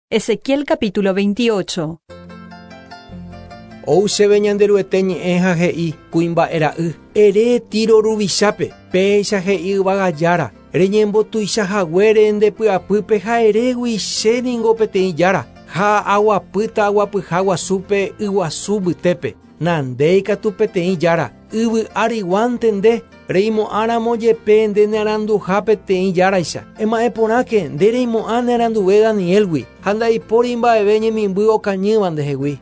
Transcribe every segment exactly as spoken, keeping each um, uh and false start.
Ezequiel capítulo veintiocho. Ou chéve Ñanderuete ñe'ẽ ha he'i kuimba'e ra'y ere Tiro ruvichápe péicha he'i yvága jára reñembotuichahaguére ndepy'apýpe ha erégui chéningo peteĩ jára ha aguapýta aguapyha guasúpe yguasu mbytépe nandéikatu peteĩ jára yvy áriguante nde reimo'ãramo jepe nde nearanduha peteĩ járaicha ema'ẽporãke nde reimo'ã nearanduve Danielgui ha ndaipóri mba'eve ñemimby okañýva ndehegui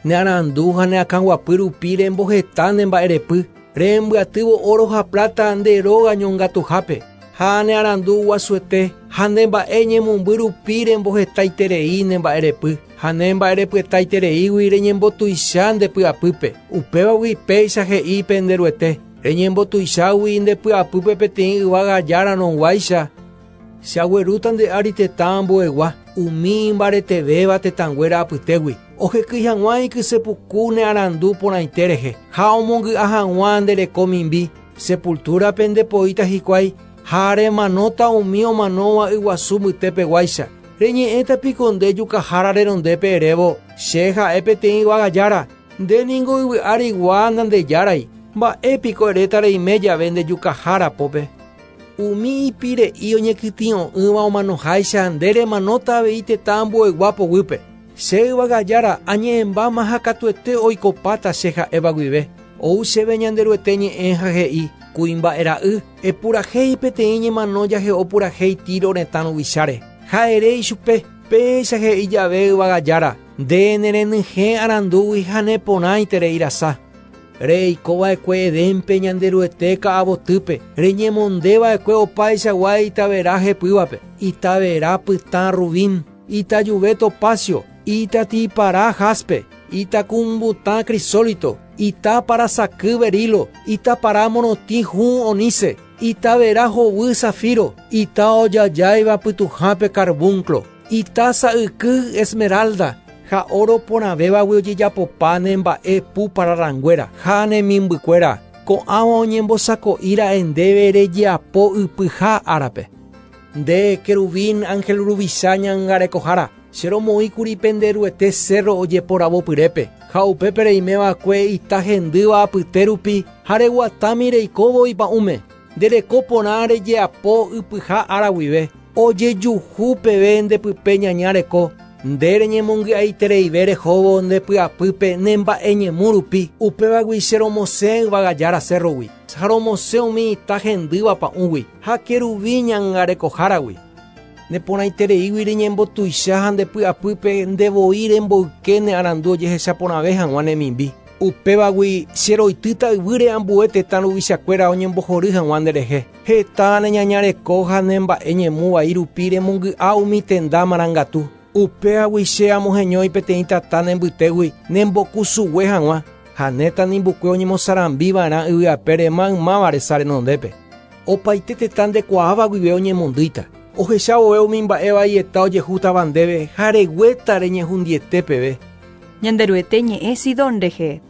nearandu ha neakãguapy rupi remboheta ne mba'erepy rembyatývo oro ha plata nde róga ñongatuhápe ha nearandu guasuete ha nde mba'e ñemomby rupi rembohetaiterei ne mba'erepy ha ne mba'erepyetaitereígui reñembotuicha ndepy'apýpe upévagui péicha he'i penderuete reñembotuichágui ndepy'apýpe peteĩ yvága járarõguáicha che aguerúta nde ári tetã ambuegua umi imbaretevéva tetãnguéra apytégui ohekýi hag̃ua ikysepuku ne arandu porãite rehe ha omongy'a hag̃ua nde reko mimbi sepultúrape ndepoíta hikuái ha remanóta umi omanóva yguasu mbytépeguáicha reñe'ẽta piko nde jukahára renondépe erévo che ha'e peteĩ yvága jára nde ningo yvy árigua nandejárai mba'épiko eréta reime jave nde jukahára pópe umi ipire'i oñekytĩ'o'ỹva omanoháicha nde remanóta avei tetã ambuegua poguýpe che yvága jára añe'ẽmbáma ha katuete oikopáta che ha'éva guive ou chéve Ñanderuete ñe'ẽ ha he'i kuimba'e ra'y epurahéi peteĩ ñemano jahe'o purahéi Tiro retã ruvicháre ha ere ichupe péicha he'i jave yvága jára nde nerenyhẽ arandúgui ha neporãiterei rasa reikova'ekue Edénpe Ñanderuete ka'avotýpe reñemondeva'ekue opaichagua itavera hepývape itavera pytã rubín itajuve topacio itatipara jaspe itakumbutã crisólito itaparasaky berilo itapara morotĩ hũ oníce itavera hovy zafiro ita ojajáiva pytuhápe carbunclo ita sa'yky esmeralda ha oro porãvévagui ojejapopa ne mba'e pu pararãnguéra ha ne mimbykuéra ko'ãva oñembosako'íra'e ndéve rejeapo ypyha árape nde querubín ángel ruvicha ñangarekohára che romoĩkuri penderuete cerro ojeporavopyrépe ha upépe reimeva'ekue ita hendýva apyte rupi ha reguatámi reikóvo ipa'ũme ndereko porã rejeapo ypyha ára guive ojejuhu peve ndepype ñaña reko nde reñemongy'aitereive rehóvo ndepy'apýpe ne mba'eñemu rupi upévagui che romosẽ yvága jára cerrogui ha romosẽ umi ita hendýva pa'ũgui ha querubín ñangarekoháragui neporãitereígui reñembotuicha ha ndepy'apýpe ndevoi remboyke ne arandu ojehechaporãve hag̃ua ne mimbi upévagui che roitýta yvýre ambue tetã ruvichakuéra oñembohory hag̃ua nderehe heta ne ñañareko ha ne mba'e ñemu vai rupi remongy'a umi tenda marangatu upévagui che amoheñói peteĩ tata ne mbytégui nembokusugue hag̃ua ha ne tanimbukue oñemosarambiva'erã yvyapére maymáva resa renondépe opaite tetã ndekuaáva guive oñemondýita ohechavove umi mba'e vaieta ojehútava ndéve ha reguéta reñehundiete peve Ñanderuete ñe'ẽ Sidón rehe.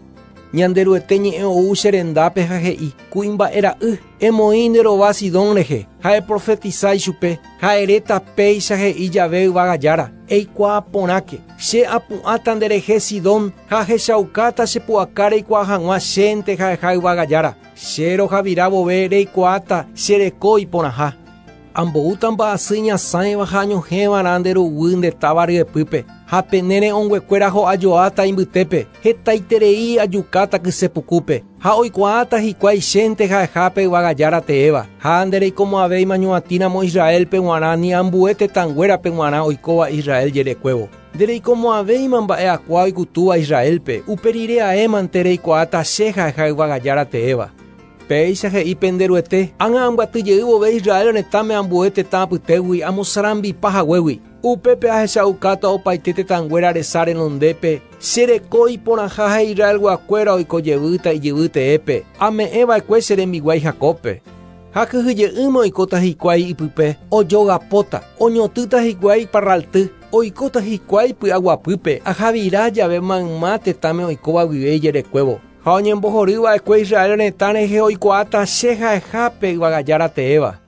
Ñanderuete ñe'ẽ ou che rendápe ha he'i kuimba'e ra'y emoĩ nde rova Sidón rehe ha eprofetisa ichupe ha eréta péicha he'i jave yvága jára eikuaa porãke che apu'ãta nderehe Sidón ha ahechaukáta chepu'aka reikuaa hag̃ua chénte ha'eha yvága jára che rohavira vove reikuaáta che reko iporãha amboúta mba'asy ñasãiva ha añohẽva'erã nde ruguy nde táva ryepýpe ha pene re'õnguekuéra ho'ajoáta imbytépe hetaiterei ajukáta kysepukúpe ha oikuaáta hikuái chénte ha'ehápe yvága jára teéva ha ndereikomo'ãvéima ñuatĩramo Israelpe g̃uarã ni ambue tetãnguérape g̃uarã oikóva Israel jerekuévo ndereikomo'ãvéima mba'e akua oikutúva Israelpe upe rire aémante reikuaáta che ha'eha yvága jára teéva péicha he'i penderuete ág̃a ambyatyjey vove Israel retãme ambue tetã apytégui amosarambipa haguégui upépe ahechaukáta opaite tetãnguéra resa renondépe che reko iporãha ha Israelguakuéra oikojevýta ijyvy teépe ame'ẽva'ekue che rembiguái Jacóbpe ha kyhyje'ỹme oikóta hikuái ipype ojogapóta oñotýta hikuái parralty oikóta hikuái py'aguapýpe ahavira jave mayma tetãme oikóva guive ijerekuévo ha oñembohorýva'ekue Israel retã rehe oikuaáta che ha'ehápe yvága jára teéva.